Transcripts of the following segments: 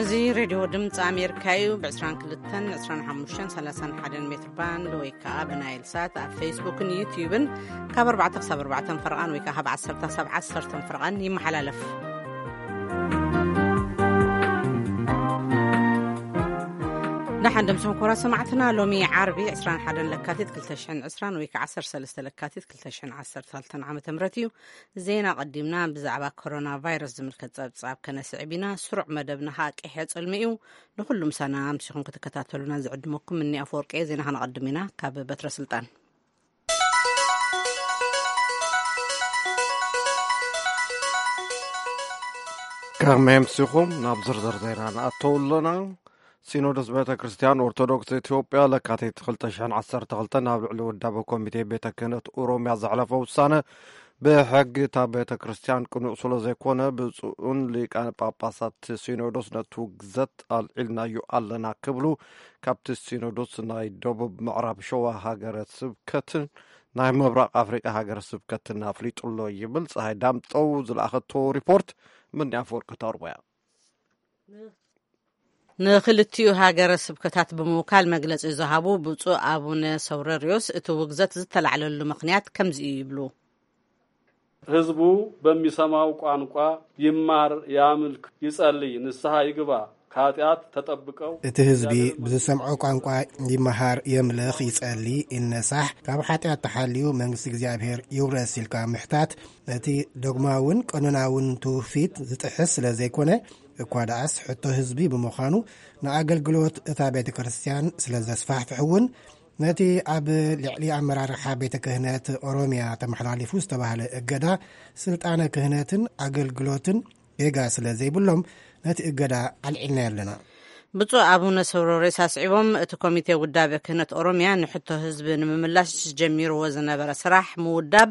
እዚ ሬድዮ ድምፂ ኣሜሪካ እዩ። ብ22፣ 25፣ 31 ሜትር ባንድ ወይ ከዓ ብናይል ሳት ኣብ ፌስቡክን ዩትዩብን ካብ ኣርባዕተ ክሳብ ኣርባዕተ ፈረቓን ወይ ከዓ ካብ ዓሰርተ ክሳብ ዓሰርተ ፈረቓን ይመሓላለፍ። ደሓን ደምስኹም ክቡራት ሰማዕትና። ሎሚ ዓርቢ 21 ለካቲት 2020 ወይ ከዓ 13 ለካቲት 2012 ዓመተ ምህረት እዩ። ዜና ቀዲምና ብዛዕባ ኮሮና ቫይረስ ዝምልከት ጸብጻብ ከነስዕብ ኢና። ስሩዕ መደብና ከዓ ቀይሕ ጽልሚ እዩ። ንኹሉ ምሳና ኣምሲኹም ክትከታተሉና ዝዕድመኩም እኒ ኣፈወርቂ። ዜና ከነቐድም ኢና ካብ በትረ ስልጣን። ከመይ ኣምሲኹም? ናብ ዝርዝር ዜና ንኣተው ኣለና። ሲኖዶስ ቤተ ክርስቲያን ኦርቶዶክስ ኢትዮጵያ ለካቲት 2012 ናብ ልዕሊ ውዳበ ኮሚቴ ቤተ ክህነት ኦሮሚያ ዘሕለፈ ውሳነ ብሕጊ እታ ቤተ ክርስቲያን ቅኑዕ ስለ ዘይኮነ፣ ብፁዕን ሊቃነ ጳጳሳት ሲኖዶስ ነቲ ውግዘት ኣልዒልናዮ ኣለና ክብሉ ካብቲ ሲኖዶስ ናይ ደቡብ ምዕራብ ሸዋ ሃገረ ስብከትን ናይ ምብራቕ ኣፍሪቃ ሃገረ ስብከትን ኣፍሊጡ ኣሎ ይብል ፀሃይ ዳምጠው ዝለኣኸቶ ሪፖርት። ምንያ ኣፈወርቂ ተርቦያ። ንክልቲኡ ሃገረ ስብከታት ብምውካል መግለጺ ዝሃቡ ብፁዕ ኣቡነ ሰውረርዮስ፣ እቲ ውግዘት ዝተላዕለሉ ምኽንያት ከምዚ እዩ ይብሉ። ህዝቡ በሚሰማው ቋንቋ ይማር፣ ያምልክ፣ ይጸልይ፣ ንስሐ ይግባ፣ ከኃጢአት ተጠብቀው እቲ ህዝቢ ብዝሰምዖ ቋንቋ ይመሃር፣ የምልኽ፣ ይጸሊ፣ ይነሳሕ፣ ካብ ሓጢኣት ተሓልዩ መንግስቲ እግዚኣብሔር ይውረስ ኢልካ ምሕታት፣ ነቲ ዶግማውን ቀኖናውን ትውፊት ዝጥሕስ ስለ ዘይኮነ፣ እኳ ደኣስ ሕቶ ህዝቢ ብምዃኑ፣ ንኣገልግሎት እታ ቤተ ክርስቲያን ስለ ዘስፋሕፍሕ እውን፣ ነቲ ኣብ ልዕሊ ኣመራርሓ ቤተ ክህነት ኦሮሚያ ተመሓላሊፉ ዝተባህለ እገዳ፣ ስልጣነ ክህነትን ኣገልግሎትን ጌጋ ስለ ዘይብሎም፣ ነቲ እገዳ ኣልዒልናዮ ኣለና። ብፁዕ ኣቡነ ሰውረሬስ ኣስዒቦም፣ እቲ ኮሚቴ ውዳበ ክህነት ኦሮሚያ ንሕቶ ህዝቢ ንምምላሽ ጀሚርዎ ዝነበረ ስራሕ ምውዳብ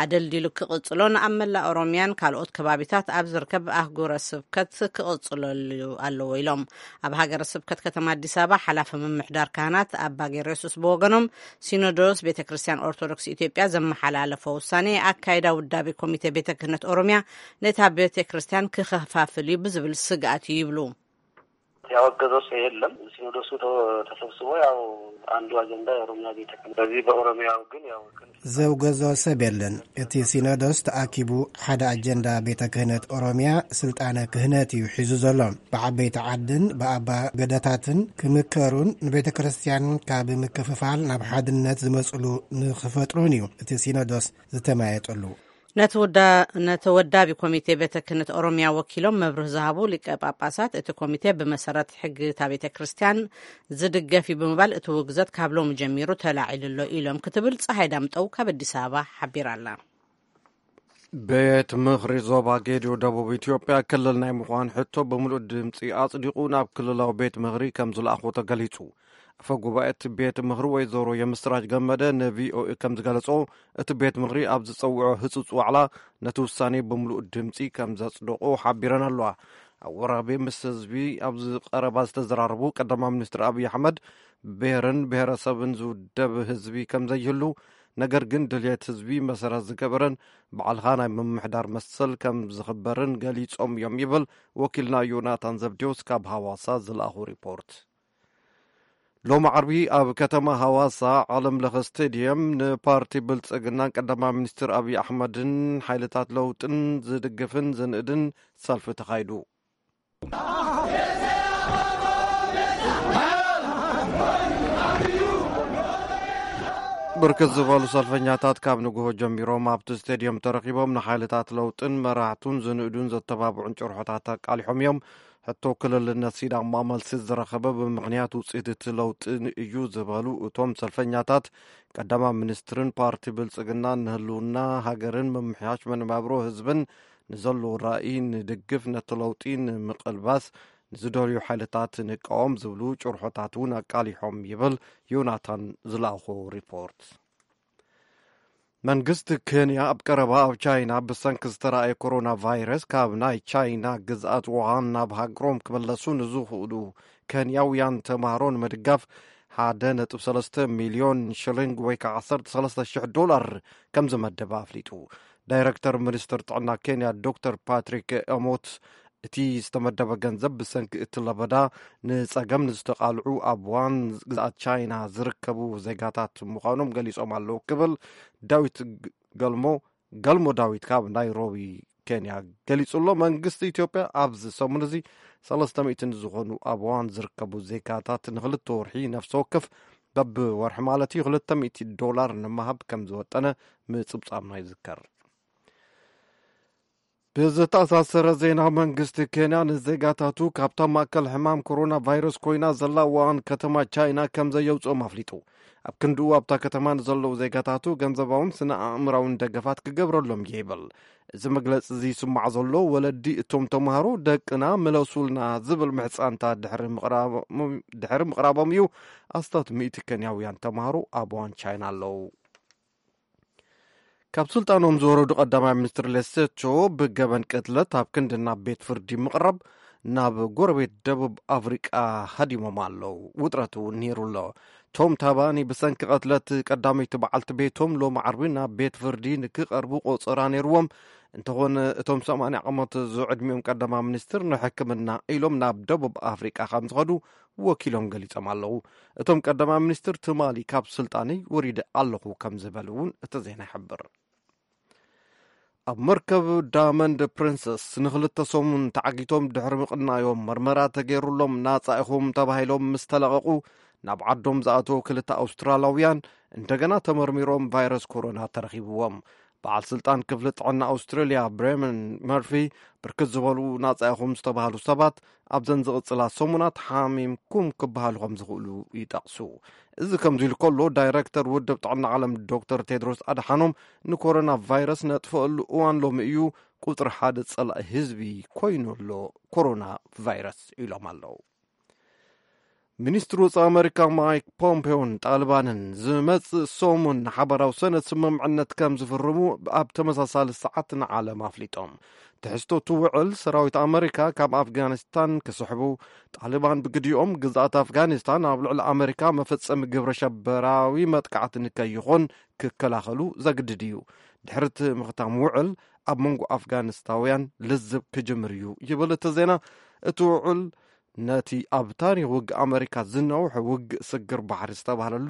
ኣደልዲሉ ክቕጽሎን ኣብ መላእ ኦሮሚያን ካልኦት ከባቢታት ኣብ ዝርከብ ኣህጉረ ስብከት ክቕጽለሉ ኣለዎ ኢሎም። ኣብ ሃገረ ስብከት ከተማ ኣዲስ ኣበባ ሓላፊ ምምሕዳር ካህናት ኣባ ጌርዮስስ ብወገኖም፣ ሲኖዶስ ቤተ ክርስቲያን ኦርቶዶክስ ኢትዮጵያ ዘመሓላለፎ ውሳኔ ኣካይዳ ውዳቤ ኮሚቴ ቤተ ክህነት ኦሮሚያ ነታ ቤተ ክርስቲያን ክኸፋፍል እዩ ብዝብል ስግኣት እዩ ይብሉ። ያወገዘው ሰው የለም። ሲኖዶሱ ተ-፣ ተሰብስቦ ያው አንዱ አጀንዳ የኦሮሚያ ቤተ ክህነት። በዚህ በኦሮሚያው ግን ያው ዘውገዞ ሰብ የለን። እቲ ሲኖዶስ ተኣኪቡ ሓደ ኣጀንዳ ቤተ ክህነት ኦሮሚያ ስልጣነ ክህነት እዩ ሒዙ ዘሎ። ብዓበይቲ ዓድን ብኣባ ገዳታትን ክምከሩን ንቤተ ክርስቲያን ካብ ምክፍፋል ናብ ሓድነት ዝመጽሉ ንክፈጥሩን እዩ እቲ ሲኖዶስ ዝተማየጠሉ። ነቲ ውዳ-፣ ነቲ ወዳቢ ኮሚቴ ቤተ ክህነት ኦሮሚያ ወኪሎም መብርህ ዝሃቡ ሊቀ ጳጳሳት፣ እቲ ኮሚቴ ብመሰረት ሕጊ እታ ቤተ ክርስቲያን ዝድገፍ እዩ ብምባል፣ እቲ ውግዘት ካብ ሎሚ ጀሚሩ ተላዒሉ ኣሎ ኢሎም ክትብል ፀሃይ ዳምጠው ካብ ኣዲስ ኣበባ ሓቢራ ኣላ። ቤት ምኽሪ ዞባ ጌዲዮ ደቡብ ኢትዮጵያ ክልል ናይ ምዃን ሕቶ ብምሉእ ድምፂ ኣፅዲቑ ናብ ክልላዊ ቤት ምኽሪ ከም ዝለኣኾ ተገሊፁ። ኣፈ ጉባኤ እቲ ቤት ምኽሪ ወይዘሮ የምስራች ገመደ ንቪኦኤ ከም ዝገለጾ፣ እቲ ቤት ምኽሪ ኣብ ዝጸውዖ ህጹጽ ዋዕላ ነቲ ውሳኔ ብምሉእ ድምጺ ከም ዘጽደቖ ሓቢረን ኣለዋ። ኣብ ወራቤ ምስ ህዝቢ ኣብ ዝቐረባ ዝተዘራረቡ ቀዳማይ ሚኒስትር ኣብይ ኣሕመድ፣ ብብሄርን ብሄረሰብን ዝውደብ ህዝቢ ከም ዘይህሉ፣ ነገር ግን ድልየት ህዝቢ መሰረት ዝገበረን ባዕልኻ ናይ ምምሕዳር መሰል ከም ዝኽበርን ገሊጾም እዮም ይብል ወኪልና ዮናታን ዘብዴዎስ ካብ ሃዋሳ ዝለኣኹ ሪፖርት። ሎሚ ዓርቢ ኣብ ከተማ ሃዋሳ ዓለም ለኸ ስቴድየም ንፓርቲ ብልጽግናን ቀዳማይ ሚኒስትር ኣብይ ኣሕመድን ሓይልታት ለውጥን ዝድግፍን ዝንእድን ሰልፊ ተኻይዱ። ብርክት ዝበሉ ሰልፈኛታት ካብ ንግሆ ጀሚሮም ኣብቲ ስቴድየም ተረኺቦም ንሓይልታት ለውጥን መራሕቱን ዝንእዱን ዘተባብዑን ጭርሖታት ኣቃሊሖም እዮም። ሕቶ ክልልነት ሲዳማ መልሲ ዝረኸበ ብምኽንያት ውፅኢት እቲ ለውጢ እዩ ዝበሉ እቶም ሰልፈኛታት፣ ቀዳማይ ሚኒስትርን ፓርቲ ብልፅግናን ንህልውና ሃገርን ምምሕያሽ መነባብሮ ህዝብን ንዘለዎ ራእይ ንድግፍ፣ ነቲ ለውጢ ንምቕልባስ ንዝደልዩ ሓይልታት ንቃወም ዝብሉ ጭርሖታት እውን ኣቃሊሖም ይብል ዮናታን ዝለኣኾ ሪፖርት። መንግስቲ ኬንያ ኣብ ቀረባ ኣብ ቻይና ብሰንኪ ዝተረኣየ ኮሮና ቫይረስ ካብ ናይ ቻይና ግዝኣት ውሃን ናብ ሃገሮም ክምለሱ ንዝኽእሉ ኬንያውያን ተምሃሮ ንምድጋፍ 1.3 ሚልዮን ሽሊንግ ወይ ከዓ 13,000 ዶላር ከም ዝመደበ ኣፍሊጡ። ዳይረክተር ሚኒስትር ጥዕና ኬንያ ዶክተር ፓትሪክ ኤሞት እቲ ዝተመደበ ገንዘብ ብሰንኪ እቲ ለበዳ ንጸገም ንዝተቓልዑ ኣብ ዋን ግዝኣት ቻይና ዝርከቡ ዜጋታት ምዃኖም ገሊጾም ኣለዉ ክብል ዳዊት ግ-፣ ገልሞ፣ ገልሞ ዳዊት ካብ ናይሮቢ ኬንያ ገሊጹ ኣሎ። መንግስቲ ኢትዮጵያ ኣብዚ ሰሙን እዚ ሰለስተ ሚእቲ ንዝኾኑ ኣብ ዋን ዝርከቡ ዜጋታት ንኽልተ ወርሒ ነፍሲ ወከፍ በብወርሒ ማለት እዩ ክልተ ሚእቲ ዶላር ንምሃብ ከም ዝወጠነ ምጽብጻብና ይዝከር። ብዝተኣሳሰረ ዜና፣ መንግስቲ ኬንያ ንዜጋታቱ ካብታ ማእከል ሕማም ኮሮና ቫይረስ ኮይና ዘላ ዋን ከተማ ቻይና ከም ዘየውፅኦም ኣፍሊጡ። ኣብ ክንድኡ ኣብታ ከተማ ንዘለዉ ዜጋታቱ ገንዘባውን ስነ ኣእምራውን ደገፋት ክገብረሎም እየ ይብል። እዚ መግለፂ እዚ ይስማዕ ዘሎ ወለዲ እቶም ተምሃሮ ደቅና ምለሱልና ዝብል ምሕፃንታ ድሕሪ ምቕራቦም፣ ድሕሪ ምቕራቦም እዩ። ኣስታት ሚእቲ ኬንያውያን ተምሃሮ ኣብ ዋን ቻይና ኣለዉ። ካብ ስልጣኖም ዝወረዱ ቀዳማይ ሚኒስትር ሌሴቶ ብገበን ቅትለት ኣብ ክንዲ ናብ ቤት ፍርዲ ምቕራብ ናብ ጎረቤት ደቡብ ኣፍሪቃ ሃዲሞም ኣለዉ። ውጥረት እውን ነይሩ ኣሎ። ቶም ታባኒ ብሰንኪ ቅትለት ቀዳመይቲ በዓልቲ ቤቶም ሎሚ ዓርቢ ናብ ቤት ፍርዲ ንክቐርቡ ቆጸራ ነይርዎም። እንተኾነ እቶም ሰማንያ ዓመት ዝዕድሚኦም ቀዳማይ ሚኒስትር ንሕክምና ኢሎም ናብ ደቡብ ኣፍሪቃ ከም ዝኸዱ ወኪሎም ገሊጾም ኣለዉ። እቶም ቀዳማይ ሚኒስትር ትማሊ ካብ ስልጣነይ ወሪደ ኣለኹ ከም ዝበሉ እውን እቲ ዜና ይሕብር። ኣብ መርከብ ዳመንድ ፕሪንሰስ ንኽልተ ሰሙን ተዓጊቶም ድሕሪ ምቕናዮም መርመራ ተገይሩሎም ናጻ ኢኹም ተባሂሎም ምስ ተለቐቑ ናብ ዓዶም ዝኣተዉ ክልተ ኣውስትራላውያን እንደገና ተመርሚሮም ቫይረስ ኮሮና ተረኺብዎም። በዓል ስልጣን ክፍሊ ጥዕና ኣውስትራልያ ብሬመን መርፊ ብርክት ዝበሉ ናጻ ኢኹም ዝተባህሉ ሰባት ኣብዘን ዝቕጽላ ሰሙናት ሓሚምኩም ክበሃሉ ከም ዝኽእሉ ይጠቕሱ። እዚ ከምዚ ኢሉ ከሎ ዳይረክተር ውድብ ጥዕና ዓለም ዶክተር ቴድሮስ ኣድሓኖም ንኮሮና ቫይረስ ነጥፈኣሉ እዋን ሎሚ እዩ፣ ቁጽሪ ሓደ ጸላኢ ህዝቢ ኮይኑ ኣሎ ኮሮና ቫይረስ ኢሎም ኣለዉ። ሚኒስትሪ ወጻኢ ኣመሪካ ማይክ ፖምፔዮን ጣልባንን ዝመጽእ ሰሙን ንሓበራዊ ሰነድ ስምምዕነት ከም ዝፍርሙ ኣብ ተመሳሳሊ ሰዓት ንዓለም ኣፍሊጦም። ትሕዝቶ እቲ ውዕል ሰራዊት ኣመሪካ ካብ ኣፍጋኒስታን ክስሕቡ፣ ጣሊባን ብግዲኦም ግዝኣት ኣፍጋኒስታን ኣብ ልዕሊ ኣመሪካ መፈጸሚ ግብረ ሸበራዊ መጥቃዕቲ ንከይኾን ክከላኸሉ ዘግድድ እዩ። ድሕሪ እቲ ምኽታም ውዕል ኣብ መንጎ ኣፍጋኒስታውያን ልዝብ ክጅምር እዩ ይብል እቲ ዜና። እቲ ውዕል ነቲ ኣብ ታሪኽ ውግእ ኣመሪካ ዝነውሐ ውግእ ስግር ባሕሪ ዝተባህለሉ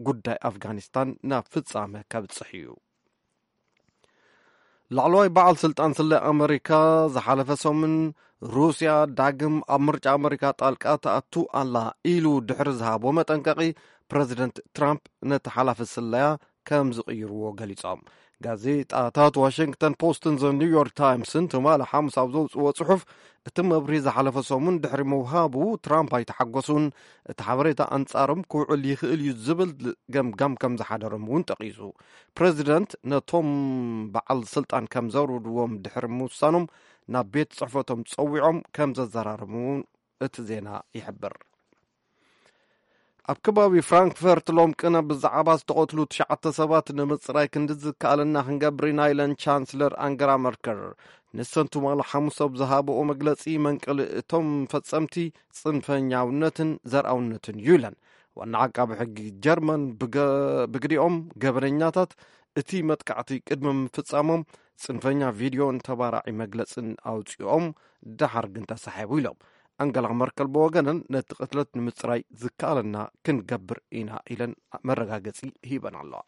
ጉዳይ ኣፍጋኒስታን ናብ ፍጻመ ከብጽሕ እዩ። ላዕለዋይ በዓል ስልጣን ስለ ኣመሪካ ዝሓለፈ ሰሙን ሩስያ ዳግም ኣብ ምርጫ ኣመሪካ ጣልቃ ትኣቱ ኣላ ኢሉ ድሕሪ ዝሃቦ መጠንቀቒ፣ ፕረዚደንት ትራምፕ ነቲ ሓላፊ ስለያ ከም ዝቕይርዎ ገሊጾም። ጋዜጣታት ዋሽንግተን ፖስትን ዘ ኒውዮርክ ታይምስን ትማሊ ሓሙስ ኣብ ዘውፅዎ ጽሑፍ፣ እቲ መብርሂ ዝሓለፈ ሰሙን ድሕሪ ምውሃቡ ትራምፕ ኣይተሓጎሱን፣ እቲ ሓበሬታ ኣንጻሮም ክውዕል ይኽእል እዩ ዝብል ገምጋም ከም ዝሓደሮም እውን ጠቒሱ። ፕረዚደንት ነቶም በዓል ስልጣን ከም ዘውርድዎም ድሕሪ ምውሳኖም ናብ ቤት ጽሕፈቶም ጸዊዖም ከም ዘዘራረሙ እውን እቲ ዜና ይሕብር። ኣብ ከባቢ ፍራንክፈርት ሎም ቅነ ብዛዕባ ዝተቐትሉ ትሽዓተ ሰባት ንምጽራይ ክንዲ ዝከኣለና ክንገብር ኢና ኢለን ቻንስለር ኣንገላ መርከል። ንሰን ትማሊ ሓሙስ ኣብ ዝሃበኦ መግለጺ መንቀሊ እቶም ፈጸምቲ ጽንፈኛውነትን ዘርኣውነትን እዩ ኢለን። ዋና ዓቃቢ ሕጊ ጀርመን ብገ-፣ ብግዲኦም ገበነኛታት እቲ መጥቃዕቲ ቅድሚ ምፍጻሞም ጽንፈኛ ቪድዮን ተባራዒ መግለጽን ኣውጺኦም፣ ደሓር ግን ተሳሒቡ ኢሎም። ኣንገላ መርከል ብወገነን ነቲ ቅትለት ንምጽራይ ዝከኣለና ክንገብር ኢና ኢለን መረጋገጺ ሂበን ኣለዋ።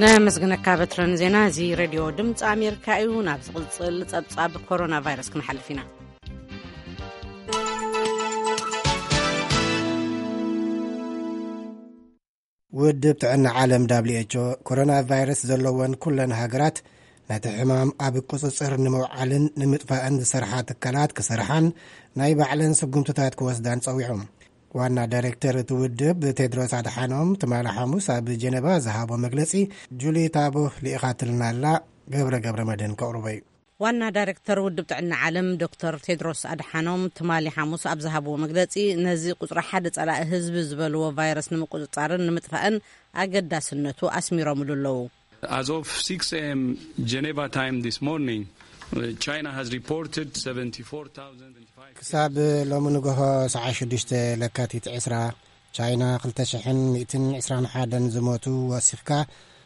ነመስግነካ በትረን ዜና። እዚ ሬድዮ ድምፂ ኣሜሪካ እዩ። ናብ ዝቕፅል ፀብፃብ ኮሮና ቫይረስ ክንሓልፍ ኢና። ውድብ ጥዕና ዓለም፣ ዳብሊው ኤች ኦ፣ ኮሮና ቫይረስ ዘለወን ኩለን ሃገራት ነቲ ሕማም ኣብ ቁጽጽር ንምውዓልን ንምጥፋእን ዝሰርሓ ትካላት ክሰርሓን ናይ ባዕለን ስጉምትታት ክወስዳን ጸዊዑ። ዋና ዳይሬክተር እቲ ውድብ ቴድሮስ ኣድሓኖም ትማሊ ሓሙስ ኣብ ጀነቫ ዝሃቦ መግለጺ፣ ጁሊ ታቦ ልኢኻትልና ኣላ። ገብረ ገብረ መድህን ከቕርቦ እዩ። ዋና ዳይሬክተር ውድብ ጥዕና ዓለም ዶክተር ቴድሮስ ኣድሓኖም ትማሊ ሓሙስ ኣብ ዝሃብዎ መግለጺ፣ ነዚ ቁጽሪ ሓደ ጸላኢ ህዝቢ ዝበልዎ ቫይረስ ንምቁጽጻርን ንምጥፋእን ኣገዳስነቱ ኣስሚሮምሉ ኣለዉ። As of six a m Geneva time this morning, uh, China has reported seventy-four thousand five ክሳብ ሎሚ ንግሆ ሰዓት ሽዱሽተ ለካቲት ዕስራ፣ ቻይና ክልተ ሽሕን ሚእትን ዕስራን ሓደን ዝሞቱ ወሲኽካ፣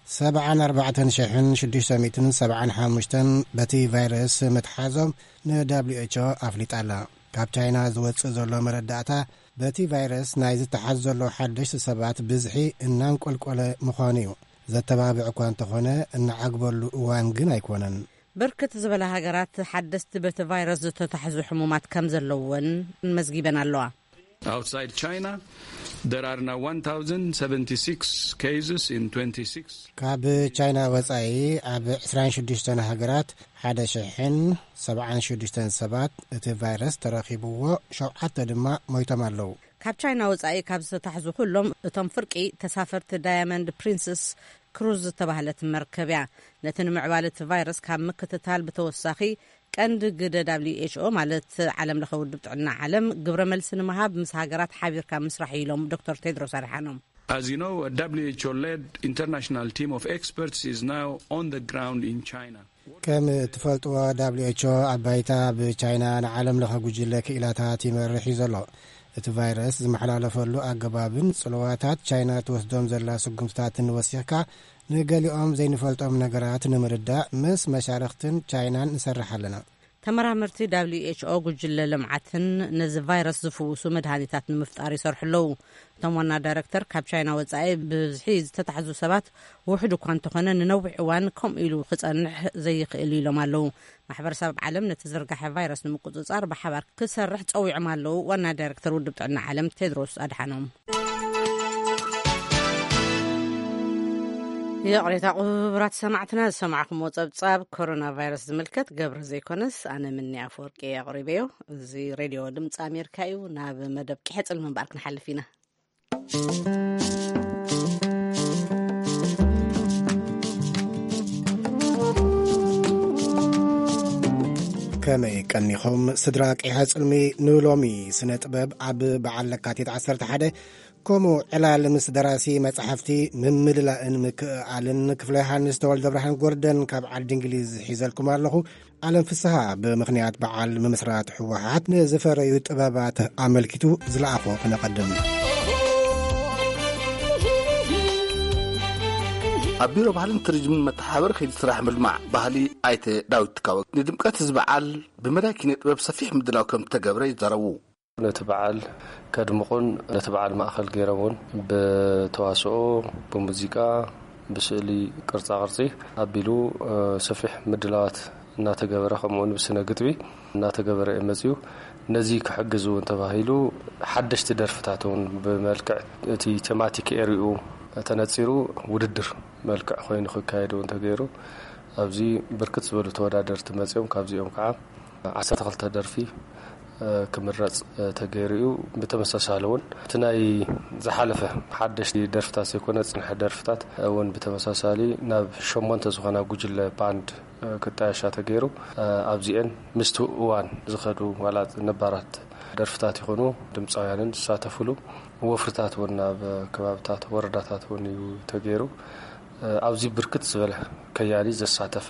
ሰብዓን ኣርባዕተን ሽሕን ሽዱሽተ ሚእትን ሰብዓን ሓሙሽተን በቲ ቫይረስ ምትሓዞም ን ደብሊው ኤች ኦ ኣፍሊጣ ኣላ። ካብ ቻይና ዝወጽእ ዘሎ መረዳእታ፣ በቲ ቫይረስ ናይ ዝተሓዝ ዘሎ ሓደሽቲ ሰባት ብዝሒ እናንቆልቆለ ምዃኑ እዩ። ዘተባብዕ እኳ እንተኾነ፣ እናዓግበሉ እዋን ግን ኣይኮነን። ብርክት ዝበላ ሃገራት ሓደስቲ በቲ ቫይረስ ዝተታሕዙ ሕሙማት ከም ዘለውወን መዝጊበን ኣለዋ። Outside China, there are now one thousand seventy-six cases in twenty-six. ካብ ቻይና ወጻኢ ኣብ ዕስራን ሽዱሽተን ሃገራት ሓደ ሽሕን ሰብዓን ሽዱሽተን ሰባት እቲ ቫይረስ ተረኺብዎ፣ ሸውዓተ ድማ ሞይቶም ኣለዉ። ካብ ቻይና ወጻኢ ካብ ዝተታሕዙ ኩሎም እቶም ፍርቂ ተሳፈርቲ ዳያመንድ ፕሪንስስ ክሩዝ ዝተባህለት መርከብ እያ። ነቲ ንምዕባል እቲ ቫይረስ ካብ ምክትታል ብተወሳኺ ቀንዲ ግደ ደብሊው ኤች ኦ ማለት ዓለም ለኸ ውድብ ጥዕና ዓለም ግብረ መልሲ ንምሃብ ምስ ሃገራት ሓቢርካ ምስራሕ እዩ ኢሎም ዶክተር ቴድሮስ ኣድሓኖም። As you know, a W H O-led international team of experts is now on the ground in China. ከም እትፈልጥዎ፣ ደብሊው ኤች ኦ ኣብ ባይታ ብቻይና ንዓለም ለኸ ጉጅለ ክኢላታት ይመርሕ እዩ ዘሎ። እቲ ቫይረስ ዝመሓላለፈሉ ኣገባብን ጽልዋታት ቻይና ትወስዶም ዘላ ስጉምትታትን ወሲኽካ፣ ንገሊኦም ዘይንፈልጦም ነገራት ንምርዳእ ምስ መሻርኽትን ቻይናን ንሰርሕ ኣለና። ተመራመርቲ ደብሊው ኤች ኦ ጉጅለ ልምዓትን ነዚ ቫይረስ ዝፍውሱ መድሃኒታት ንምፍጣር ይሰርሑ ኣለዉ። እቶም ዋና ዳይረክተር፣ ካብ ቻይና ወጻኢ ብብዝሒ ዝተታሕዙ ሰባት ውሑድ እኳ እንተኾነ፣ ንነዊሕ እዋን ከምኡ ኢሉ ክጸንሕ ዘይኽእል ኢሎም ኣለዉ። ማሕበረሰብ ዓለም ነቲ ዝርጋሐ ቫይረስ ንምቁጽጻር ብሓባር ክሰርሕ ጸዊዖም ኣለዉ ዋና ዳይረክተር ውድብ ጥዕና ዓለም ቴድሮስ ኣድሓኖም። ይቕሬታ ክቡራት ሰማዕትና፣ ዝሰማዕኩምዎ ጸብጻብ ኮሮና ቫይረስ ዝምልከት ገብረ ዘይኮነስ ኣነ ምኒ ኣፈወርቂ ኣቕሪበዮ። እዚ ሬድዮ ድምፂ ኣሜሪካ እዩ። ናብ መደብ ቂሐ ጽልሚ እምበኣር ክንሓልፍ ኢና። ከመይ ቀኒኹም ስድራ ቂሐ ጽልሚ? ንሎሚ ስነ ጥበብ ኣብ በዓል ለካቲት ዓሰርተ ሓደ ከምኡ ዕላል ምስ ደራሲ መጻሕፍቲ ምምልላእን ምክእኣልን ክፍለ ዮሃንስ ተወልደ ብርሃን ጎርደን ካብ ዓዲ እንግሊዝ ሒዘልኩም ኣለኹ። ኣለም ፍስሃ ብምኽንያት በዓል ምምስራት ህወሓት ንዝፈረዩ ጥበባት ኣመልኪቱ ዝለኣኾ ክነቐድም። ኣብ ቢሮ ባህልን ቱሪዝምን መተሓባበሪ ከይዲ ስራሕ ምልማዕ ባህሊ ኣይተ ዳዊት ትካወ ንድምቀት እዚ በዓል ብመዳይ ኪነ ጥበብ ሰፊሕ ምድላው ከም ዝተገብረ ይዛረቡ። ነቲ በዓል ከድምቑን ነቲ በዓል ማእኸል ገይሮም እውን ብተዋስኦ፣ ብሙዚቃ፣ ብስእሊ ቅርጻ ቅርጺ ኣቢሉ፣ እ፣ ሰፊሕ ምድላዋት እናተገበረ፣ ከምኡ እውን ብስነ ግጥሚ እናተገበረ እዩ መጺኡ። ነዚ ክሕግዝ እውን ተባሂሉ ሓደሽቲ ደርፍታት እውን ብመልክዕ እቲ ቴማቲክ ኤሪኡ ተነጺሩ ውድድር መልክዕ ኮይኑ ክካየድ እውን ተገይሩ። ኣብዚ ብርክት ዝበሉ ተወዳደርቲ መጺኦም፣ ካብዚኦም ከዓ ዓሰርተ ክልተ ደርፊ፣ እ፣ ክምረጽ፣ እ፣ ተገይሩ እዩ። ብተመሳሳሊ እውን እቲ ናይ ዝሓለፈ ሓደሽቲ ደርፍታት ዘይኮነ ዝጽንሐ ደርፍታት እውን ብተመሳሳሊ ናብ ሸሞንተ ዝኾና ጉጅለ ባንድ፣ እ፣ ክጣየሻ ተገይሩ። እ፣ ኣብዚኤን ምስቲ እዋን ዝኸዱ ዋላ ነባራት ደርፍታት ይኹኑ ድምፃውያንን ዝሳተፉሉ ወፍርታት እውን ናብ ከባብታት ወረዳታት እውን እዩ ተገይሩ። እ፣ ኣብዚ ብርክት ዝበለ ከያኒ ዘሳተፈ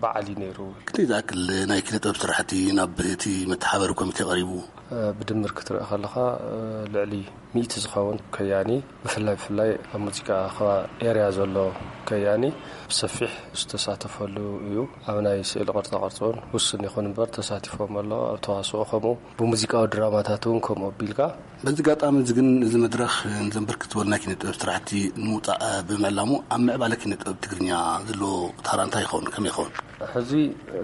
በዓል እዩ ነይሩ። ክንደይ ዝኣክል ናይ ኪነ ጥበብ ስራሕቲ ናብ እቲ መተሓባበሪ ኮሚቴ ቀሪቡ? እ፣ ብድምር ክትርኢ ከለኻ፣ እ፣ ልዕሊ ሚእቲ ዝኸውን ከያኒ፣ ብፍላይ ብፍላይ ኣብ ሙዚቃ ከባቢ ኤርያ ዘሎ ከያኒ ብሰፊሕ ዝተሳተፈሉ እዩ። ኣብ ናይ ስእሊ ቅርጻ ቅርጺ እውን ውስን ይኹን እምበር ተሳቲፎም ኣሎ። ኣብ ተዋስኦ ከምኡ፣ ብሙዚቃዊ ድራማታት እውን ከምኡ ኣቢልካ። በዚ ኣጋጣሚ እዚ ግን፣ እዚ መድረኽ ንዘን ብርክት ዝበሉ ናይ ኪነ ጥበብ ስራሕቲ ንምውጻእ ብምዕላሙ፣ ኣብ ምዕባለ ኪነ ጥበብ ትግርኛ ዘለዎ ታራ እንታይ ይኸውን? ከመይ ይኸውን? ሕዚ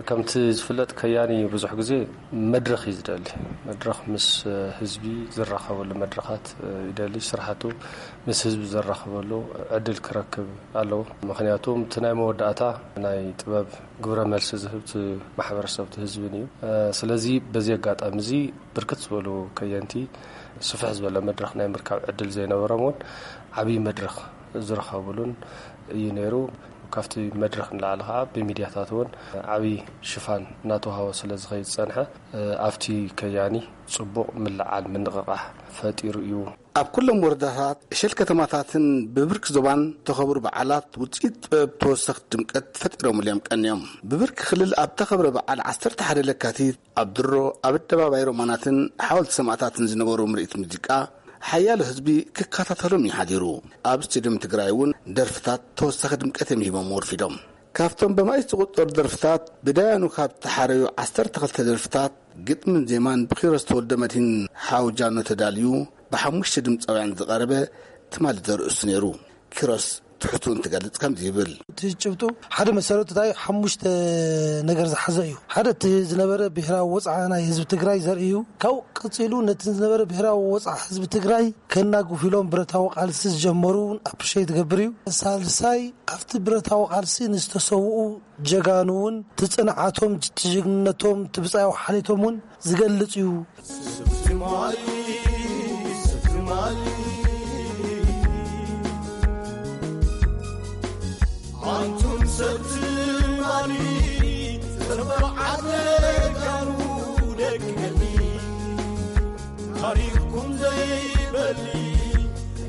ከምቲ ዝፍለጥ፣ ከያኒ ብዙሕ ግዜ መድረኽ እዩ ዝደሊ። መድረኽ ምስ ህዝቢ ዝራኸበሉ መድረኻት ይደሊ። ስራሕቱ ምስ ህዝቢ ዘራኽበሉ ዕድል ክረክብ ኣለዎ። ምኽንያቱ እቲ ናይ መወዳእታ ናይ ጥበብ ግብረ መልሲ ዝህብ እቲ ማሕበረሰብ፣ እቲ ህዝብን እዩ። ስለዚ በዚ ኣጋጣሚ እዚ ብርክት ዝበሉ ከየንቲ ስፍሕ ዝበለ መድረኽ ናይ ምርካብ ዕድል ዘይነበሮም እውን ዓብዪ መድረኽ ዝረኸብሉን እዩ ነይሩ። ካብቲ መድረኽ ንላዕሊ ከዓ ብሚድያታት እውን ዓብዪ ሽፋን እናተዋህቦ ስለ ዝኸይድ ዝፀንሐ፣ ኣብቲ ከያኒ ፅቡቕ ምልዓል ምንቕቓሕ ፈጢሩ እዩ። ኣብ ኩሎም ወረዳታት፣ ዕሸል ከተማታትን ብብርኪ ዞባን ተኸብሩ በዓላት ውፅኢት ጥበብ ተወሰኽቲ ድምቀት ፈጢሮምሉ እዮም ቀንዮም። ብብርኪ ክልል ኣብ ተኸብረ በዓል ዓሰርተ ሓደ ለካቲት ኣብ ድሮ ኣብ ኣደባባይ ሮማናትን ሓወልቲ ሰማእታትን ዝነበሩ ምርኢት ሙዚቃ፣ ሓያሎ ህዝቢ ክከታተሎም እዩ ሓዲሩ። ኣብ ስቴድዮም ትግራይ እውን ደርፍታት ተወሳኺ ድምቀት እዮም ሂቦም ወርፊዶም። ካብቶም በማይት ዝቑጠሩ ደርፍታት ብዳያኑ ካብ ተሓረዩ ዓሰርተ ክልተ ደርፍታት ግጥምን ዜማን ብኪሮስ ተወልደ መድህን ሓው ጃኖ ተዳልዩ ብሓሙሽተ ድምፃውያን ዝቐረበ ትማሊ ዘርእስቱ ነይሩ። ኪሮስ ትሕዝትኡ እንትገልጽ ከምዚ ይብል። እቲ ጭብጡ ሓደ መሰረቱ እንታይ ሓሙሽተ ነገር ዝሓዘ እዩ። ሓደ እቲ ዝነበረ ብሔራዊ ወፅዓ ናይ ህዝቢ ትግራይ ዘርኢ እዩ። ካብኡ ቀፂሉ ነቲ ዝነበረ ብሔራዊ ወፅዓ ህዝቢ ትግራይ ከናጉፍ ኢሎም ብረታዊ ቃልሲ ዝጀመሩ እውን ኣፕሪሼት ትገብር እዩ። ሳልሳይ ኣብቲ ብረታዊ ቃልሲ ንዝተሰውኡ ጀጋኑ እውን እቲ ፅንዓቶም፣ እቲ ጅግንነቶም፣ እቲ ብፃያዊ ሓሌቶም እውን ዝገልጽ እዩ። ኣንቱም ሰብ ትማሊ፣ ተበዓል ጀጋኑ ደቂ ገድሊ፣ ታሪኽኩም ዘይበሊ፣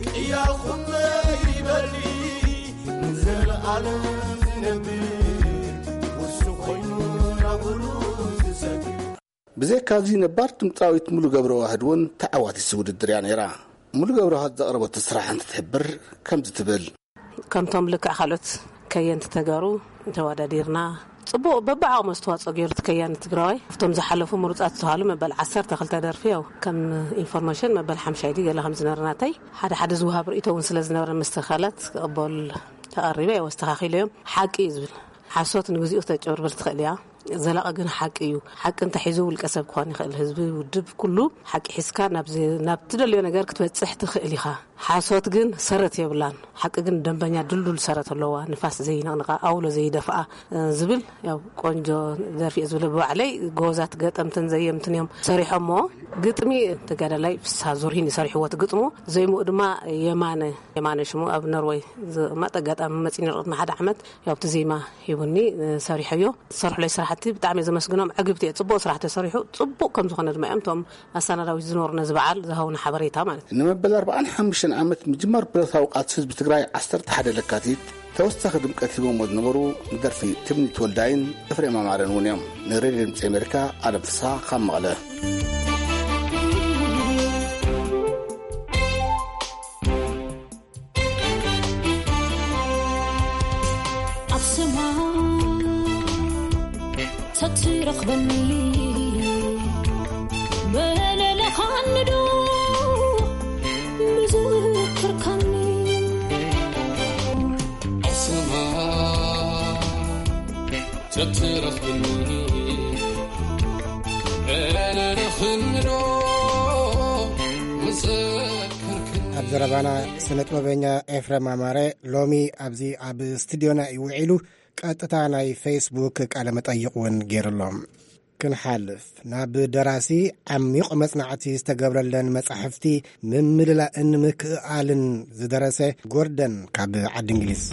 ቅያኹም ዘይበሊ፣ ንዘለኣለም ዝነብር ውርሲ ኮይኑ ናብሉ ዝሰግር። ብዘይካዚ ነባር ድምፃዊት ሙሉ ገብረዋህድ እውን ተዓዋቲት ውድድር እያ ነይራ። ሙሉ ገብረዋህድ ዘቕረበቶ ስራሕ እንትትሕብር ከምዚ ትብል። ከምቶም ልክዕ ካልኦት ከየንቲ ተጋሩ ተወዳዲርና፣ ጽቡቕ በብዓቕሙ ኣስተዋጽኦ ገይሩ እቲ ከያኒ ትግራዋይ። ኣብቶም ዝሓለፉ ምሩጻት ዝተባህሉ መበል ዓሰርተ ክልተ ደርፊ፣ ያው ከም ኢንፎርሜሽን መበል ሓምሻይ ድዩ ገለ ከም ዝነበረ ናተይ፣ ሓደ ሓደ ዝወሃብ ርእይቶ እውን ስለ ዝነበረ፣ መስተኻላት ክቕበል ተቐሪበ፣ ያው ኣስተኻኺለዮም። ሓቂ እዩ ዝብል፣ ሓሶት ንግዚኡ ክተጭበርብር ትኽእል እያ። ዘላቒ ግን ሓቂ እዩ። ሓቂ እንተሒዙ ውልቀ ሰብ ክኾን ይኽእል፣ ህዝቢ፣ ውድብ፣ ኩሉ ሓቂ ሒዝካ ናብ ዝ-፣ ናብ ትደልዮ ነገር ክትበጽሕ ትኽእል ኢኻ። ሓሶት ግን ሰረት የብላን። ሓቂ ግን ደንበኛ ድልዱል ሰረት ኣለዋ፣ ንፋስ ዘይነቕንቓ፣ ኣውሎ ዘይደፍኣ፣ እ፣ ዝብል ያው ቆንጆ ደርፊ እየ ዝብል። ብባዕለይ ጎበዛት ገጠምትን ዘየምትን እዮም ሰሪሖሞ። ግጥሚ ተጋዳላይ ፍስሃ ዙርሂን እዩ ሰሪሕዎ እቲ ግጥሙ። ዜምኡ ድማ የማነ፣ የማነ ሽሙ ኣብ ኖርወይ ዝቕመጥ ኣጋጣሚ መጺኒ ርቕት ንሓደ ዓመት ያው ኣብቲ ዜማ ሂቡኒ፣ እ፣ ሰሪሐዮ። ዝሰርሕለይ ስራሕቲ ብጣዕሚ እየ ዘመስግኖም። ዕግብቲ እየ። ጽቡቕ ስራሕ ተሰሪሑ፣ ጽቡቕ ከም ዝኾነ ድማ እዮም እቶም ኣሰናዳዊት ዝነበሩ ነዚ በዓል ዝሃቡና ሓበሬታ ማለት እዩ። ንመበል ኣርባዓን ሓሙሽተን ዓመት ምጅማር ብረታዊ ቃልሲ ህዝቢ ትግራይ ዓሰርተ ሓደ ለካቲት ተወሳኺ ድምቀት ሂቦሞ ዝነበሩ ንደርፊ ትምኒት ወልዳይን ኤፍሬም ኣማረን እውን እዮም። ንሬድዮ ድምፂ ኣሜሪካ ኣለም ፍስሃ ካብ መቐለ። ኣብ ሰማይ ተትረኽበኒ፣ መለለኻኒ ዶ ምዝክርካኒ? ኣብ ሰማይ ተትረኽበኒ፣ መለለኻኒ ዶ ምዝክርካኒ? ኣብ ዘረባና ስነ ጥበበኛ ኤፍረም ኣማረ ሎሚ ኣብዚ ኣብ ስቱድዮና እዩ ውዒሉ። ቀጥታ ናይ ፌስቡክ ቃለ መጠይቕ እውን ገይሩሎም። ክንሓልፍ ናብ ደራሲ ዓሚቕ መጽናዕቲ ዝተገብረለን መጻሕፍቲ ምምልላእን ምክእኣልን ዝደረሰ ጎርደን ካብ ዓዲ እንግሊዝ።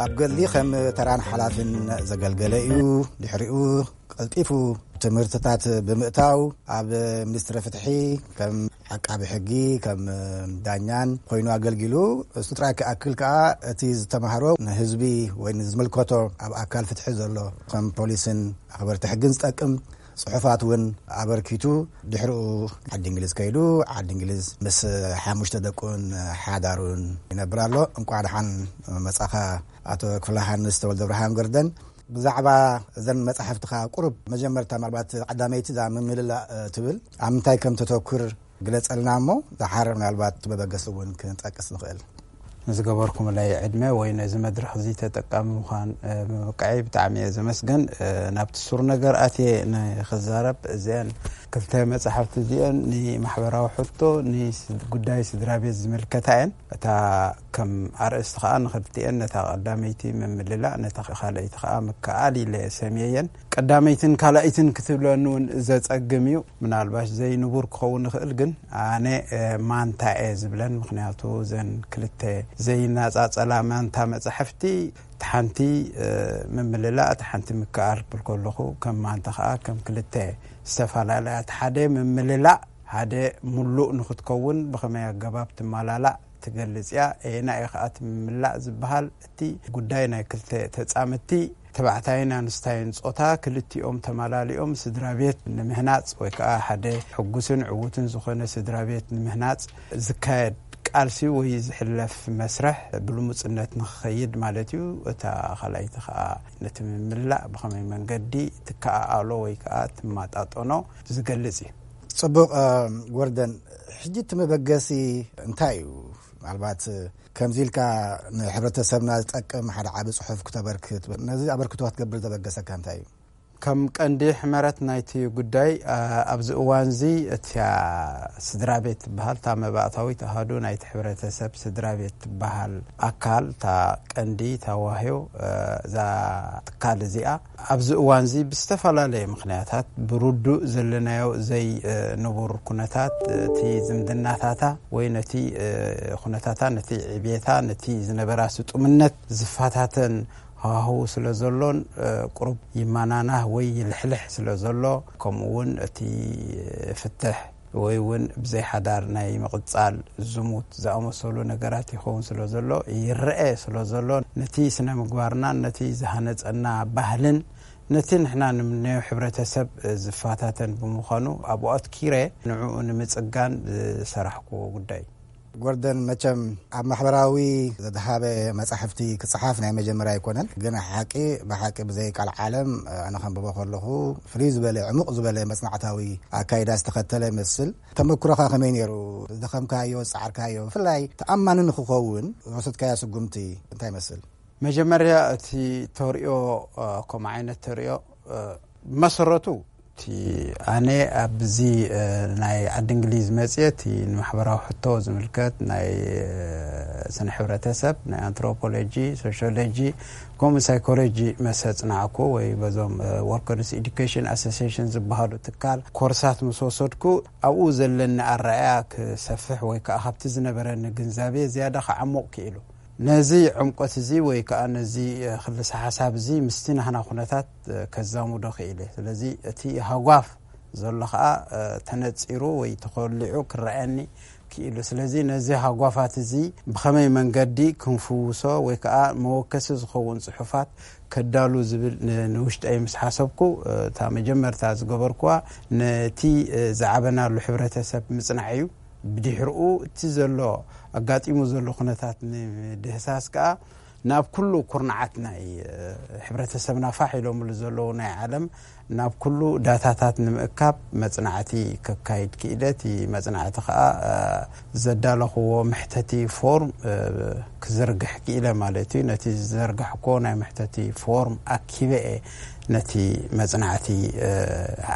ኣብ ገድሊ ከም ተራን ሓላፍን ዘገልገለ እዩ። ድሕሪኡ ቀልጢፉ ትምህርትታት ብምእታው ኣብ ሚኒስትሪ ፍትሒ ከም ዓቃቢ ሕጊ፣ ከም ዳኛን ኮይኑ ኣገልጊሉ። እሱ ጥራይ ክኣክል ከኣ እቲ ዝተማህሮ ንህዝቢ ወይ ንዝምልከቶ ኣብ ኣካል ፍትሒ ዘሎ ከም ፖሊስን ኣኽበርቲ ሕግን ዝጠቅም ጽሑፋት እውን ኣበርኪቱ። ድሕሪኡ ዓዲ እንግሊዝ ከይዱ፣ ዓዲ እንግሊዝ ምስ ሓሙሽተ ደቁን ሓዳሩን ይነብር ኣሎ። እንቋዕ ደሓን መጻኻ ኣቶ ክፍለ ሃንስ ተወልደ ብርሃን ገርደን። ብዛዕባ እዘን መጻሕፍትኻ ቁሩብ መጀመርታ ምናልባት ቀዳመይቲ እዛ ምምልላእ፣ እ፣ ትብል ኣብ ምንታይ ከም ተተኩር ግለጸልና እሞ፣ ደሓር ምናልባት መበገሲ እውን ክንጠቅስ ንኽእል። ንዝገበርኩምለይ ዕድመ ወይ ነዚ መድረኽ እዚ ተጠቃሚ ምዃን፣ እ፣ ብምብቃዐይ ብጣዕሚ እየ ዘመስግን። እ፣ ናብቲ ሱር ነገር ኣትየ ንኽዛረብ፣ እዚአን ክልተ መጻሕፍቲ እዚአን ንማሕበራዊ ሕቶ፣ ንስ-፣ ጉዳይ ስድራ ቤት ዝምልከታ እየን። እታ ከም ኣርእስቲ ከኣ ንኽልቲኤን፣ ነታ ቀዳመይቲ ምምልላእ፣ ነታ ካልኣይቲ ከኣ ምክኣል ኢለ ሰምየየን። ቀዳመይትን ካልኣይትን ክትብለኒ እውን ዘጸግም እዩ። ምናልባሽ ዘይንቡር ክኸውን ይኽእል፣ ግን ኣነ፣ እ፣ ማንታ እየ ዝብለን። ምኽንያቱ እዘን ክልተ ዘይነጻጸላ ማንታ መጻሕፍቲ፣ እቲ ሓንቲ፣ እ፣ ምምልላእ፣ እቲ ሓንቲ ምክኣል ክብል ከለኹ፣ ከም ማንታ ከኣ ከም ክልተ ዝተፈላለያ፣ እቲ ሓደ ምምልላእ፣ ሓደ ምሉእ ንኽትከውን ብኸመይ ኣገባብ ትመላላእ ትገልጽ እያ። ኣየናይ እዩ ከኣ እቲ ምምላእ ዝበሃል? እቲ ጉዳይ ናይ ክልተ ተጻምድቲ ተባዕታይን ኣንስታይን ጾታ ክልቲኦም ተማላሊኦም ስድራ ቤት ንምህናጽ ወይ ከዓ ሓደ ሕጉስን ዕዉትን ዝኾነ ስድራ ቤት ንምህናጽ ዝካየድ ቃልሲ ወይ ዝሕለፍ መስርሕ ብልሙጽነት ንኽኸይድ ማለት እዩ። እታ ካልኣይቲ ከዓ ነቲ ምምላእ ብኸመይ መንገዲ ትከኣኣሎ ወይ ከዓ ትማጣጠኖ ዝገልጽ እዩ። ጽቡቕ። ወርደን፣ ሕጂ እቲ መበገሲ እንታይ እዩ? ምናልባት ከምዚ ኢልካ ንሕብረተሰብና ዝጠቅም ሓደ ዓቢ ጽሑፍ ክተበርክት፣ ነዚ ኣበርክቶ ክትገብር ዘበገሰካ እንታይ እዩ? ከም ቀንዲ ሕመረት ናይቲ ጉዳይ ኣብዚ እዋን እዚ እቲያ ስድራ ቤት ትበሃል እታ መባእታዊት ኣሃዱ ናይቲ ሕብረተሰብ ስድራ ቤት ትበሃል ኣካል እታ ቀንዲ እታ ዋህዮ እዛ ትካል እዚኣ ኣብዚ እዋን እዚ ብዝተፈላለየ ምክንያታት ብርዱእ ዘለናዮ ዘይንቡር ኩነታት እቲ ዝምድናታታ ወይ ነቲ ኩነታታ ነቲ ዕቤታ ነቲ ዝነበራ ስጡምነት ዝፈታተን ሃዋህው ስለ ዘሎን ቁሩብ ይመናናህ ወይ ይልሕልሕ ስለ ዘሎ ከምኡ እውን እቲ ፍትሕ ወይ እውን ብዘይ ሓዳር ናይ ምቕጻል ዝሙት ዝኣመሰሉ ነገራት ይኸውን ስለ ዘሎ ይረአ ስለ ዘሎ ነቲ ስነ ምግባርናን ነቲ ዝሃነጸና ባህልን ነቲ ንሕና ንምንዮ ሕብረተሰብ ዝፈታተን ብምዃኑ ኣብኡ ኣትኪረ ንዕኡ ንምጽጋን ዝሰራሕክዎ ጉዳይ እዩ። ጎርደን፣ መቸም ኣብ ማሕበራዊ ዘድሃበ መጻሕፍቲ ክጽሓፍ ናይ መጀመርያ ኣይኮነን። ግን ሓቂ ብሓቂ ብዘይ ቃል ዓለም ኣነ ከንብቦ ከለኹ ፍልይ ዝበለ ዕሙቕ ዝበለ መጽናዕታዊ ኣካይዳ ዝተኸተለ ይመስል። ተመክሮኻ ከመይ ነይሩ? ዝደኸምካዮ ዝጸዓርካዮ ብፍላይ ተኣማኒ ንክኸውን ዝወሰድካዮ ስጉምቲ እንታይ ይመስል? መጀመርያ እቲ ተርእዮ ከምኡ ዓይነት ተርእዮ መሰረቱ እቲ ኣነ ኣብዚ ናይ ዓዲ እንግሊዝ መፅየ እቲ ንማሕበራዊ ሕቶ ዝምልከት ናይ ስነ ሕብረተሰብ ናይ ኣንትሮፖሎጂ ሶሽዮሎጂ ከምኡ ሳይኮሎጂ መሰ ፅናዕኩ ወይ በዞም ወርከርስ ኤዱኬሽን ኣሶሲሽን ዝበሃሉ ትካል ኮርሳት ምስ ወሰድኩ ኣብኡ ዘለኒ ኣረኣያ ክሰፍሕ ወይ ከዓ ካብቲ ዝነበረኒ ግንዛቤ ዝያዳ ክዓሙቕ ክኢሉ ነዚ ዕምቆት እዚ ወይ ከዓ ነዚ ክልሰ ሓሳብ እዚ ምስቲ ናህና ኩነታት ከዛሙዶ ክኢለ ስለዚ እቲ ሃጓፍ ዘሎ ከዓ ተነፂሩ ወይ ተኮሊዑ ክረኣየኒ ክኢሉ ስለዚ ነዚ ሃጓፋት እዚ ብኸመይ መንገዲ ክንፍውሶ ወይ ከዓ መወከሲ ዝኸውን ፅሑፋት ከዳሉ ዝብል ንውሽጠይ ምስ ሓሰብኩ እታ መጀመርታ ዝገበርኩዋ ነቲ ዝዓበናሉ ሕብረተሰብ ምፅናዕ እዩ ብድሕርኡ እቲ ዘሎ ኣጋጢሙ ዘሎ ኩነታት ንምድህሳስ ከዓ ናብ ኩሉ ኩርናዓት ናይ ሕብረተሰብና ፋሕ ኢሎምሉ ዘለዉ ናይ ዓለም ናብ ኩሉ ዳታታት ንምእካብ መፅናዕቲ ከካይድ ክኢለ እቲ መፅናዕቲ ከዓ ዘዳለኽዎ መሕተቲ ፎርም ክዝርግሕ ክኢለ ማለት እዩ ነቲ ዝዘርጋሕኮ ናይ መሕተቲ ፎርም ኣኪበ እየ ነቲ መፅናዕቲ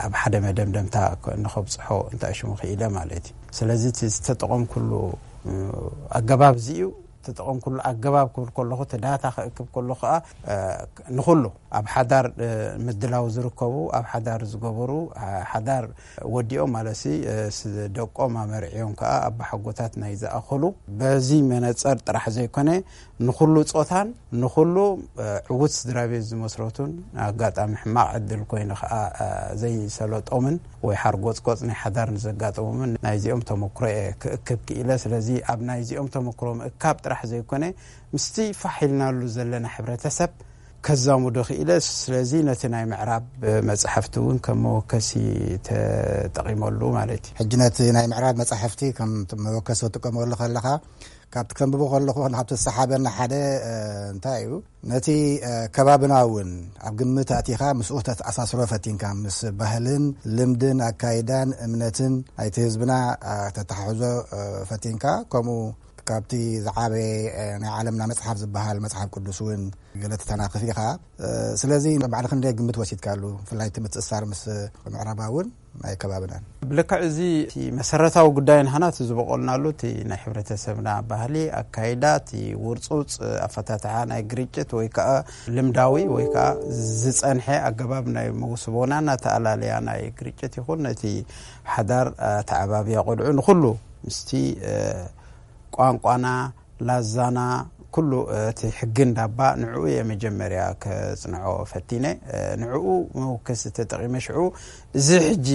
ኣብ ሓደ መደምደምታ ንኸብፅሖ እንታይ ሽሙ ክኢለ ማለት እዩ ስለዚ እቲ ዝተጠቐምኩሉ ኣገባብ እዚ እዩ ተጠቐምኩሉ ኣገባብ ክብል ከለኹ እቲ ዳታ ክእክብ ከሎ ከዓ ንኩሉ ኣብ ሓዳር ምድላው ዝርከቡ ኣብ ሓዳር ዝገበሩ ሓዳር ወዲኦም ማለት ደቆም ኣመርዕዮም ከዓ ኣባሓጎታት ናይ ዝኣኸሉ በዚ መነፀር ጥራሕ ዘይኮነ ንኩሉ ፆታን ንኩሉ ዕዉት ስድራ ቤት ዝመስረቱን ኣጋጣሚ ሕማቕ ዕድል ኮይኑ ከዓ ዘይሰለጦምን ወይ ሓርጎፅጎፅ ናይ ሓዳር ንዘጋጠሞምን ናይዚኦም ተመክሮ እየ ክእክብ ክኢለ ስለዚ ኣብ ናይዚኦም ተመክሮ ምእካብ ጥራሕ ዘይኮነ ምስቲ ፋሕ ኢልናሉ ዘለና ሕብረተሰብ ከዛሙዶ ክኢለ ስለዚ ነቲ ናይ ምዕራብ መፅሓፍቲ እውን ከም መወከሲ ተጠቂመሉ ማለት እዩ ሕጂ ነቲ ናይ ምዕራብ መፅሓፍቲ ከም መወከሲ ትጥቀመሉ ከለካ ካብቲ ከንብቦ ከለኹ ካብቲ ዝሰሓበኒ ሓደ እንታይ እዩ ነቲ ከባብና እውን ኣብ ግምት ኣእቲኻ ምስኡ ተተኣሳስሮ ፈቲንካ ምስ ባህልን ልምድን ኣካይዳን እምነትን ናይቲ ህዝብና ተተሓሕዞ ፈቲንካ ከምኡ ካብቲ ዝዓበየ ናይ ዓለምና መፅሓፍ ዝበሃል መፅሓፍ ቅዱስ እውን ገለ ተተናኽፍ ኢኻ ስለዚ ባዕልክ እንደ ግምት ወሲድካሉ ብፍላይ እቲ ምትእሳር ምስ ምዕራባ እውን ናይ ከባብናን ብልክዕ እዚ እቲ መሰረታዊ ጉዳይ ንሃና እቲ ዝበቆልናሉ እቲ ናይ ሕብረተሰብና ባህሊ ኣካይዳ እቲ ውርፁፅ ኣፈታትሓ ናይ ግርጭት ወይ ከዓ ልምዳዊ ወይ ከዓ ዝፀንሐ ኣገባብ ናይ መውስቦና እናተኣላለያ ናይ ግርጭት ይኹን ነቲ ሓዳር ተዓባብያ ቆልዑ ንኩሉ ምስቲ ቋንቋና ላዛና ኩሉ እቲ ሕጊ እንዳባ ንዕኡ እየ መጀመርያ ከፅንዖ ፈቲነ ንዕኡ መወከሲ ተጠቂመ ሽዑ እዚ ሕጂ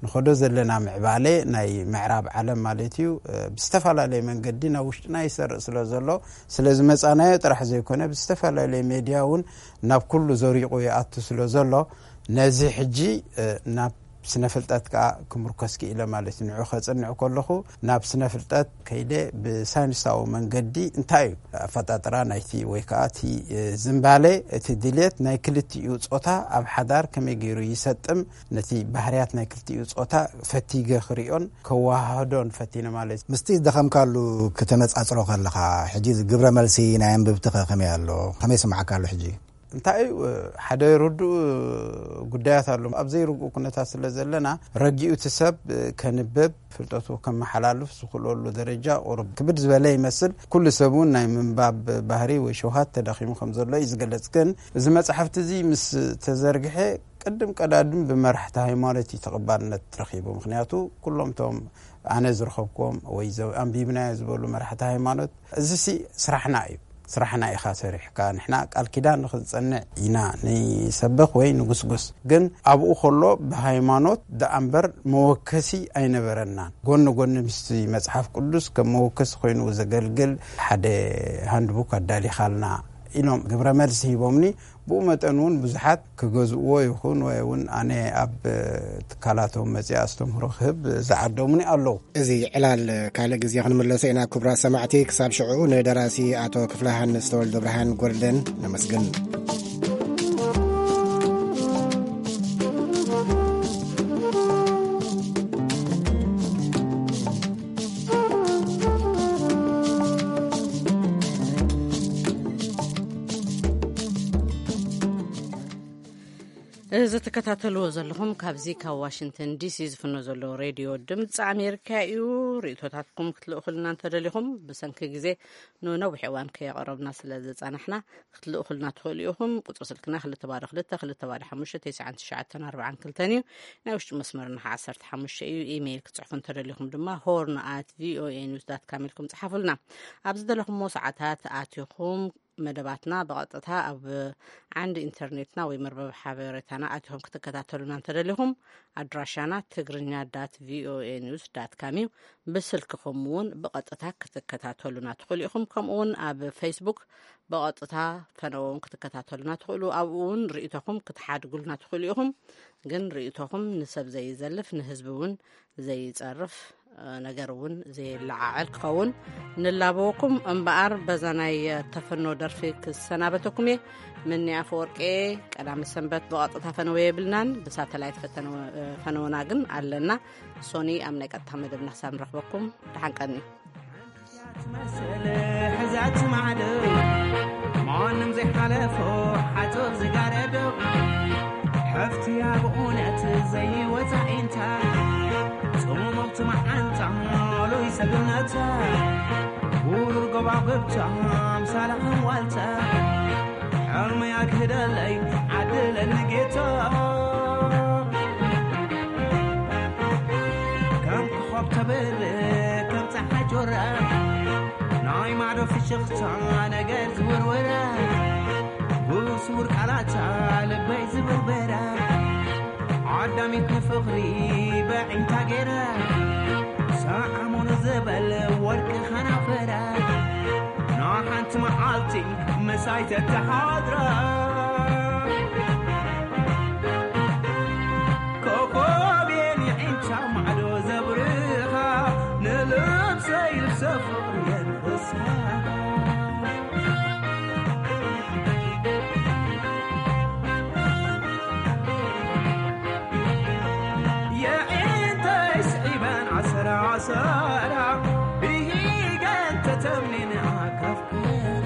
ንኸዶ ዘለና ምዕባለ ናይ ምዕራብ ዓለም ማለት እዩ፣ እ፣ ብዝተፈላለየ መንገዲ ናብ ውሽጥና ይሰርእ ስለ ዘሎ፣ ስለ ዝመጻናዮ ጥራሕ ዘይኮነ፣ ብዝተፈላለየ ሜድያ እውን ናብ ኩሉ ዘሪቑ ይኣቱ ስለ ዘሎ፣ ነዚ ሕጂ፣ እ፣ ናብ ስነ ፍልጠት ከኣ ክምርኮስ ክኢለ ማለት እዩ። ንዑ ከጽንዕ ከለኹ፣ ናብ ስነ ፍልጠት ከይደ ብሳይንሳዊ መንገዲ እንታይ እዩ ኣፈጣጥራ ናይቲ ወይ ከኣ እቲ፣ እ፣ ዝምባሌ፣ እቲ ድልየት ናይ ክልቲኡ ጾታ ኣብ ሓዳር ከመይ ገይሩ ይሰጥም፣ ነቲ ባህርያት ናይ ክልቲኡ ጾታ ፈቲገ ክሪኦን ከወሃህዶን ፈቲነ ማለት እዩ። ምስቲ ዝደኸምካሉ ክተነጻጽሮ ከለኻ፣ ሕጂ ግብረ መልሲ ናይ ኣንብብትኸ ከመይ ኣሎ? ከመይ ይስምዓካ ኣሎ ሕጂ? እንታይ እዩ፣ ሓደ ርዱእ ጉዳያት ኣሎ። ኣብ ዘይርጉእ ኩነታት ስለ ዘለና፣ ረጊኡ እቲ ሰብ ከንብብ፣ ፍልጠቱ ከመሓላልፍ ዝኽእለሉ ደረጃ ቁሩብ ክብድ ዝበለ ይመስል። ኩሉ ሰብ እውን ናይ ምንባብ ባህሪ ወይ ሸውሃት ተዳኺሙ ከም ዘሎ እዩ ዝገልጽ። ግን እዚ መጽሓፍቲ እዚ ምስ ተዘርግሐ፣ ቅድም ቀዳድም ብመራሕቲ ሃይማኖት እዩ ተቐባልነት ረኺቡ። ምኽንያቱ፣ ኩሎም እቶም ኣነ ዝረኸብኩዎም ወይ ዘ-፣ ኣንቢብናዮ ዝበሉ መራሕቲ ሃይማኖት፣ "እዚ ሲ ስራሕና እዩ። ስራሕና ኢኻ ሰሪሕካ፣ ንሕና ቃል ኪዳን ንኽንጸንዕ ኢና፣ ንሰብኽ ወይ ንጉስጉስ። ግን ኣብኡ ከሎ ብሃይማኖት ደኣ እምበር መወከሲ ኣይነበረናን። ጎኒ ጎኒ ምስቲ መጽሓፍ ቅዱስ ከም መወከሲ ኮይኑ ዘገልግል ሓደ ሃንድቡክ ኣዳሊኻልና" ኢሎም ግብረ መልሲ ሂቦምኒ። ብኡ መጠን እውን ብዙሓት ክገዝእዎ ይኹን ወይ እውን ኣነ ኣብ ትካላቶም መጺኣ ኣስተምህሮ ክህብ ዝዓደሙኒ ኣለዉ። እዚ ዕላል ካልእ ግዜ ክንምለሶ ኢና። ክቡራት ሰማዕቲ፣ ክሳብ ሽዑ ንደራሲ ኣቶ ክፍለ ዮሃንስ ተወልደ ብርሃን ጎልደን ነመስግን። እዚ ትከታተልዎ ዘለኹም ካብዚ ካብ ዋሽንግተን ዲሲ ዝፍኖ ዘሎ ሬድዮ ድምፂ ኣሜሪካ እዩ። ርእቶታትኩም ክትልእኹልና እንተደሊኹም፣ ብሰንኪ ግዜ ንነዊሕ እዋን ከየቕረብና ስለ ዝጸናሕና፣ ክትልእኹልና ትኽእሉ ኢኹም። ቁጽሪ ስልክና ክልተ ባዶ ክልተ፣ ክልተ ባዶ ሓሙሽተ፣ ተስዓን ትሽዓተን ኣርባዓን ክልተን እዩ። ናይ ውሽጢ መስመርና ዓሰርተ ሓሙሽተ እዩ። ኢሜይል ክትጽሕፉ እንተደሊኹም ድማ፣ ሆርን ኣት ቪኦኤ ኒውስ ዳት ካም ኢልኩም ጽሓፉልና። ኣብ ዝደለኹምዎ ሰዓታት ኣቲኹም መደባትና ብቐጥታ ኣብ ዓንዲ ኢንተርኔትና ወይ መርበብ ሓበሬታና ኣቲኹም ክትከታተሉና እንተደሊኹም፣ ኣድራሻና ትግርኛ ዳት ቪኦኤ ኒውስ ዳት ካም እዩ። ብስልክኹም እውን ብቐጥታ ክትከታተሉና ትኽእሉ ኢኹም። ከምኡ እውን ኣብ ፌስቡክ ብቐጥታ ፈነወ እውን ክትከታተሉና ትኽእሉ። ኣብኡ እውን ርእይቶኹም ክትሓድጉልና ትኽእሉ ኢኹም። ግን ርእይቶኹም ንሰብ ዘይዘልፍ፣ ንህዝቢ እውን ዘይጸርፍ፣ እ፣ ነገር እውን ዘየለዓዕል ክኸውን ንላበወኩም። እምበኣር በዛ ናይ ተፈኖ ደርፊ ክሰናበተኩም እየ። ምኒ ኣፈወርቄ፣ ቀዳሚ ሰንበት ብቐጥታ ፈነወ የብልናን፣ ብሳተላይት ፈተነወ-፣ እ፣ ፈነወና ግን ኣለና። ሶኒ፣ ኣብ ናይ ቀጥታ መደብና ክሳብ ንረኽበኩም፣ ደሓን ቀኒ። ትመስል ሕዛት ማዕዶ፣ ማንም ዘይሓለፎ ሓጹር ዝጋረዶ፣ ሓፍትያ ብእውነት ዘይወጻ ኢንታ፣ ጽሙምቲ መዓንጣ፣ ሉይ ሰብነታ፣ ውሩር ጎባጉብታ፣ ኣምሳላ ከም ዋልታ፣ ሕልመይ ኣግህደለይ፣ ዓድለኒ ጌታ። ከም ኮኾብ ተብርህ፣ ከም ጸሓይ ጆራ፣ ናይ ማዕዶ ፍሽኽታ ነገር ዝውርውራ፣ ብስውር ቃላታ ልበይ ዝብርበራ፣ ዓዳሚት ንፍቕሪ በዒንታ ገይራ፣ ሰዓሙኒ ዝበል ወርቂ ኸናፈራ፣ ንሓንቲ መዓልቲ ምሳይ ተተሓድራ። ኮኾብ የንዒንታ ማዕዶ ዘብርኻ፣ ንልብሰይ ልብሰ ፍቕሪ የልብሳ። የዒንተይ ስዒበን ዓሰራ ዓሰራ፣ ብሂገን ተተምኒን ኣካፍክራ።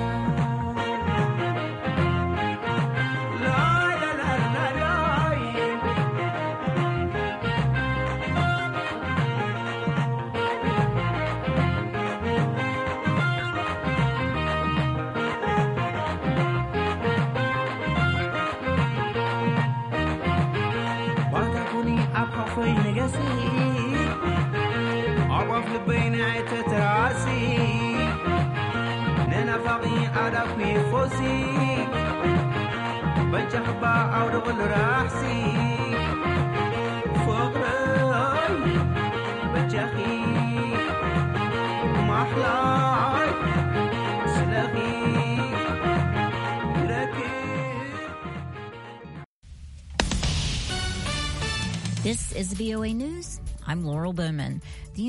ባንታ ኩኒ ኣብ ሓፎይ ንገሲ፣ ኣብ ኣፍ ልበይ ንኣይ ተትራሲ፣ ንናፋቒ ኣዳኩ ይፎሲ፣ በጃ ሕባ ኣውደ ቁሉ ራሕሲ፣ ፍቕሪ ማሕላይ ስለኺ ክረክብ። This is V O A News. I'm Laurel Bowman. The